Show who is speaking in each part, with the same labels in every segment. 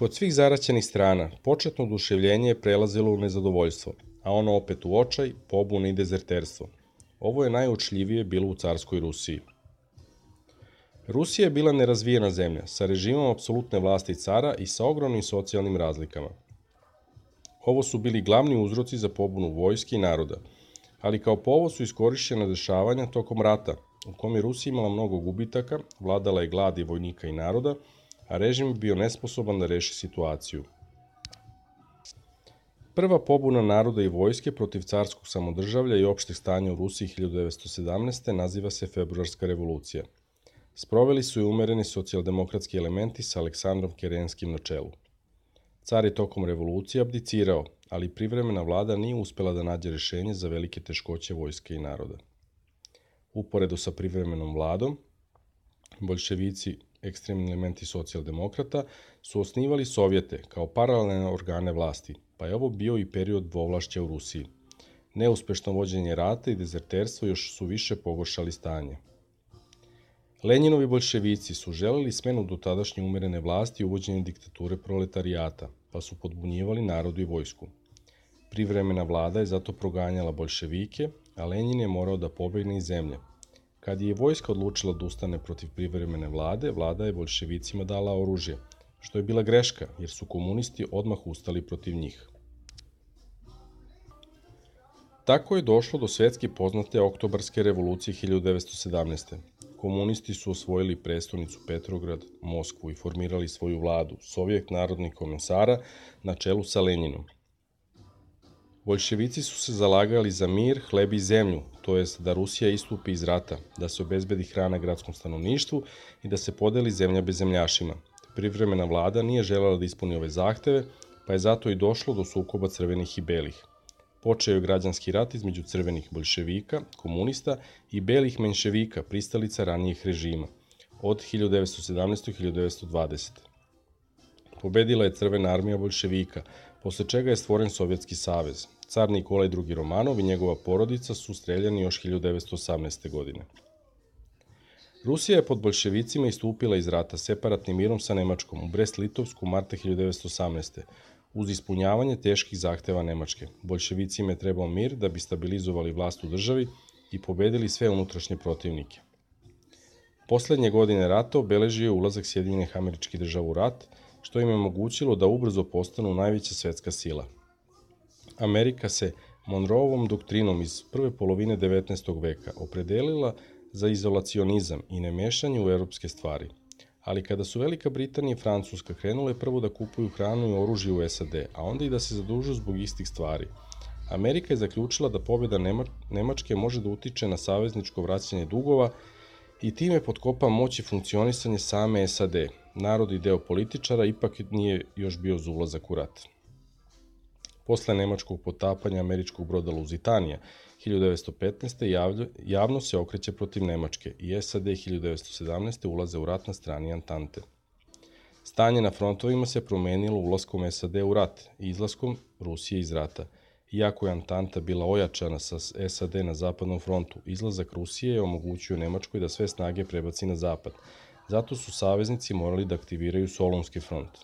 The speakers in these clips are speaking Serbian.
Speaker 1: Kod svih zaraćenih strana, početno oduševljenje je prelazilo u nezadovoljstvo, a ono opet u očaj, pobunu i dezerterstvo. Ovo je najuočljivije bilo u carskoj Rusiji. Rusija je bila nerazvijena zemlja, sa režimom apsolutne vlasti cara i sa ogromnim socijalnim razlikama. Ovo su bili glavni uzroci za pobunu vojske i naroda, ali kao povod su iskorišćena dešavanja tokom rata, u kom je Rusija imala mnogo gubitaka, vladala je gladi vojnika i naroda, a režim je bio nesposoban da reši situaciju. Prva pobuna naroda i vojske protiv carskog samodržavlja i opšteg stanja u Rusiji 1917. naziva se Februarska revolucija. Sproveli su je umereni socijaldemokratski elementi sa Aleksandrom Kerenskim na čelu. Car je tokom revolucije abdicirao, ali privremena vlada nije uspela da nađe rešenje za velike teškoće vojske i naroda. Uporedo sa privremenom vladom, boljševici, ekstremni elementi socijaldemokrata, su osnivali sovjete kao paralelne organe vlasti, pa je ovo bio i period dvovlašća u Rusiji. Neuspešno vođenje rata i dezerterstvo još su više pogoršali stanje. Lenjinovi boljševici su želeli smenu dotadašnje umerene vlasti i uvođenje diktature proletarijata, pa su podbunjivali narodu i vojsku. Privremena vlada je zato proganjala boljševike, a Lenjin je morao da pobegne iz zemlje. Kad je vojska odlučila da ustane protiv privremene vlade, vlada je boljševicima dala oružje, što je bila greška, jer su komunisti odmah ustali protiv njih. Tako je došlo do svetski poznate Oktobarske revolucije 1917. Komunisti su osvojili prestonicu Petrograd, Moskvu i formirali svoju vladu, Sovjet narodnih komesara, na čelu sa Lenjinom. Boljševici su se zalagali za mir, hleb i zemlju, to jest da Rusija istupi iz rata, da se obezbedi hrana gradskom stanovništvu i da se podeli zemlja bezemljašima. Privremena vlada nije želela da ispuni ove zahteve, pa je zato i došlo do sukoba crvenih i belih. Počeo je građanski rat između crvenih boljševika, komunista i belih menševika, pristalica ranijih režima, od 1917. do 1920. Pobedila je crvena armija boljševika, posle čega je stvoren Sovjetski savez. Car Nikolaj II. Romanov i njegova porodica su streljani još 1918. godine. Rusija je pod boljševicima istupila iz rata separatnim mirom sa Nemačkom u Brest-Litovsku marta 1918. uz ispunjavanje teških zahteva Nemačke. Boljševicima je trebao mir da bi stabilizovali vlast u državi i pobedili sve unutrašnje protivnike. Poslednje godine rata obeležio je ulazak Sjedinjenih Američkih Država u rat, što im je omogućilo da ubrzo postanu najveća svetska sila. Amerika se Monroeovom doktrinom iz prve polovine 19. veka opredelila za izolacionizam i nemešanje u evropske stvari. Ali kada su Velika Britanija i Francuska krenule prvo da kupuju hranu i oružje u SAD, a onda i da se zadužuju zbog istih stvari, Amerika je zaključila da pobjeda Nemačke može da utiče na savezničko vraćanje dugova i time potkopa moć i funkcionisanje same SAD. Narod i deo političara ipak nije još bio za ulazak u rat. Posle nemačkog potapanja američkog broda Luzitanija 1915. javno se okreće protiv Nemačke i SAD 1917. ulaze u rat na strani Antante. Stanje na frontovima se promenilo ulaskom SAD u rat i izlaskom Rusije iz rata. Iako je Antanta bila ojačana sa SAD na zapadnom frontu, izlazak Rusije je omogućio Nemačkoj da sve snage prebaci na zapad. Zato su saveznici morali da aktiviraju Solunski front.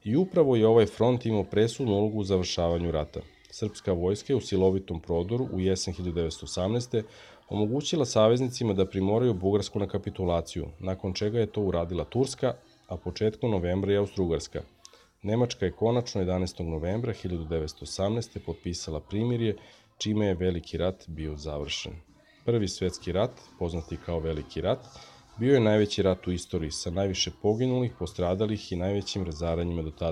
Speaker 1: I upravo je ovaj front imao presudnu ulogu u završavanju rata. Srpska vojska je u silovitom prodoru u jesen 1918. omogućila saveznicima da primoraju Bugarsku na kapitulaciju, nakon čega je to uradila Turska, a početkom novembra i Austrougarska. Nemačka je konačno 11. novembra 1918. potpisala primirje, čime je Veliki rat bio završen. Prvi svetski rat, poznati kao Veliki rat, bio je najveći rat u istoriji sa najviše poginulih, postradalih i najvećim razaranjima do tada.